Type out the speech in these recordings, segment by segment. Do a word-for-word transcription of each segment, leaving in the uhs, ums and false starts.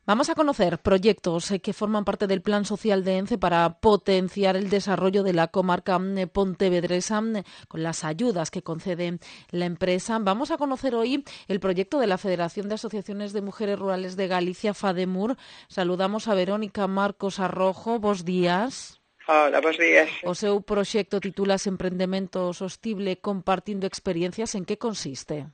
Vamos a conocer proyectos que forman parte del Plan Social de ENCE para potenciar el desarrollo de la comarca pontevedresa con las ayudas que concede la empresa. Vamos a conocer hoy el proyecto de la Federación de Asociaciones de Mujeres Rurales de Galicia, FADEMUR. Saludamos a Verónica Marcos Arrojo. Bos días. Hola, bos días. O seu proxecto titúlase Emprendemento Sostible compartindo experiencias. En que consiste?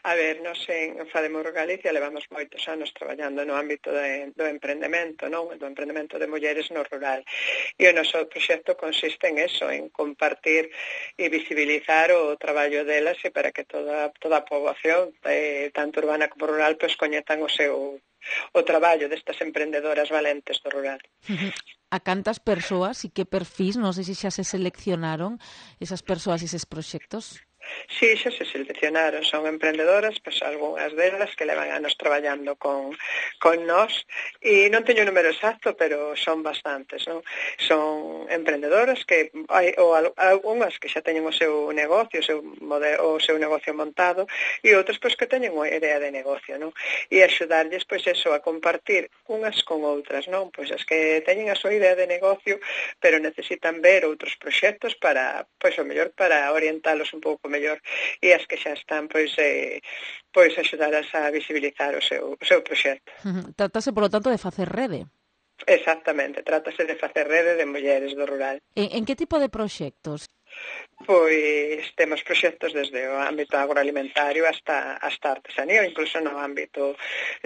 A ver, nos en FADEMUR Galicia levamos moitos anos traballando no ámbito de, do emprendemento, non? Do emprendemento de mulleres no rural. E o noso proxecto consiste en eso, en compartir e visibilizar o traballo delas e para que toda, toda a poboación, eh, tanto urbana como rural, pois coñezan o seu o traballo destas emprendedoras valentes do rural. A cantas persoas e que perfis, non sei se xa se seleccionaron esas persoas e eses proxectos? Sí, xa se seleccionaron, son emprendedoras, pois algunhas delas que levan anos traballando con, con nós, e non teño o número exacto, pero son bastantes, non? Son emprendedoras que hai ou algunhas que xa teñen o seu negocio, o seu modelo, o seu negocio montado, e outras pois que teñen unha idea de negocio, non? E axudarlles pois eso a compartir unhas con outras, non? Pois as que teñen a súa idea de negocio, pero necesitan ver outros proxectos para, pois o mellor para orientalos un pouco mellor, e as que xa están pois eh, pois axudaras a visibilizar o seu, o seu proxecto. Uh-huh. Trátase, polo tanto, de facer rede. Exactamente, trátase de facer rede de mulleres do rural. En, en que tipo de proxectos? Pois temos proxectos desde o ámbito agroalimentario hasta hasta artesanía, ou incluso no ámbito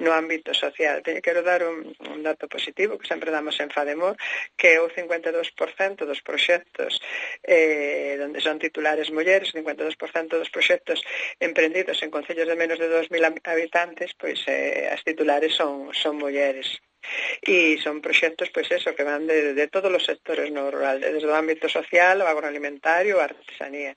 no ámbito social. Teño quero dar un, un dato positivo que sempre damos en FADEMUR, que o cincuenta e dous por cento dos proxectos eh, onde son titulares mulleres, cincuenta e dous por cento dos proxectos emprendidos en concellos de menos de dos mil habitantes, pois eh, as titulares son son mulleres. E son proxectos, pois eso, que van de, de todos os sectores no rural, desde o ámbito social, o agroalimentario, a artesanía.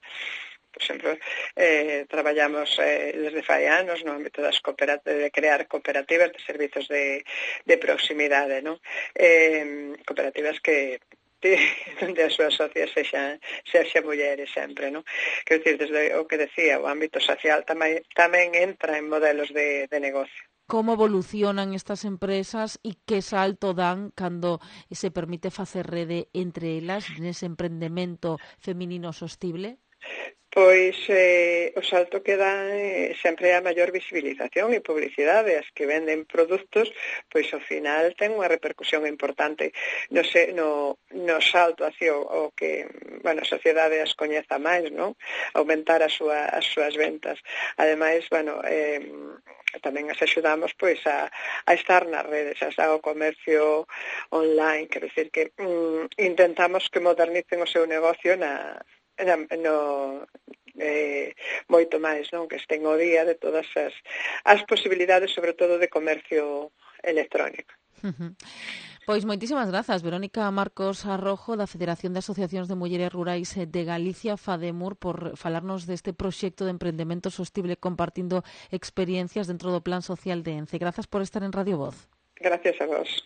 Por exemplo, eh, traballamos eh, desde fai anos no ámbito das cooperativas, de crear cooperativas de servizos de, de proximidade, non? Eh, cooperativas que onde as súas socias sexan, sexan mulleres sempre, non? Quero dicir, desde o que decía, o ámbito social tamén, tamén entra en modelos de, de negocio. Como evolucionan estas empresas e que salto dan cando se permite facer rede entre elas nese emprendemento feminino sostible? Pois eh, o salto que dan eh, sempre é a maior visibilización e publicidade. As que venden produtos, pois ao final ten unha repercusión importante no, se, no, no salto hacia o, o que, bueno, a sociedade as coñeza máis, non? Aumentar a súa, as súas ventas. Ademais, bueno, eh, tamén as axudamos pois a, a estar nas redes, a o comercio online, quero dicir que mm, intentamos que modernicen o seu negocio na No, no, eh, moito máis, non? Que estén ao día de todas as, as posibilidades, sobre todo de comercio electrónico. Uh-huh. Pois moitísimas grazas, Verónica Marcos Arrojo, da Federación de Asociacións de Mulleres Rurais de Galicia, FADEMUR, por falarnos deste proxecto de emprendemento sostible compartindo experiencias dentro do Plan Social de ENCE. Grazas por estar en Radio Voz. Gracias a vos.